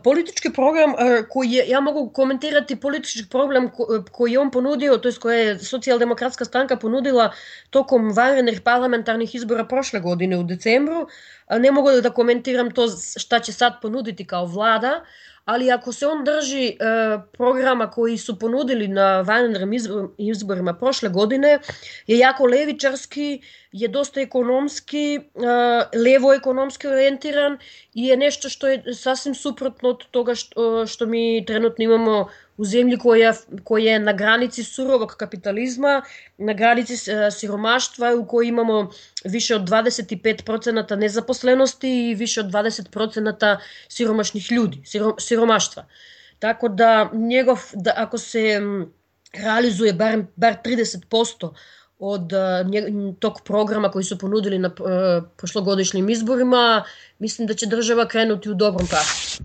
Politički program koji je, ja mogu komentirati politički program koji je on ponudio, to je koje je Socijaldemokratska stranka ponudila tokom vanrednih parlamentarnih izbora prošle godine u decembru. Ne mogu da komentiram to šta će sad ponuditi kao vlada, ali ako se on drži programa koji su ponudili na vanrednim izborima prošle godine, je jako levičarski, je dosta ekonomski, levo ekonomski orijentiran i je nešto što je sasvim suprotno od toga što mi trenutno imamo u zemlji koja je na granici surovog kapitalizma, na granici siromaštva, u kojoj imamo više od 25% nezaposlenosti i više od 20% siromašnih ljudi, siromaštva. Tako da ako se realizuje bar 30% od tog programa koji su ponudili na prošlogodišnjim izborima, mislim da će država krenuti u dobrom pravcu.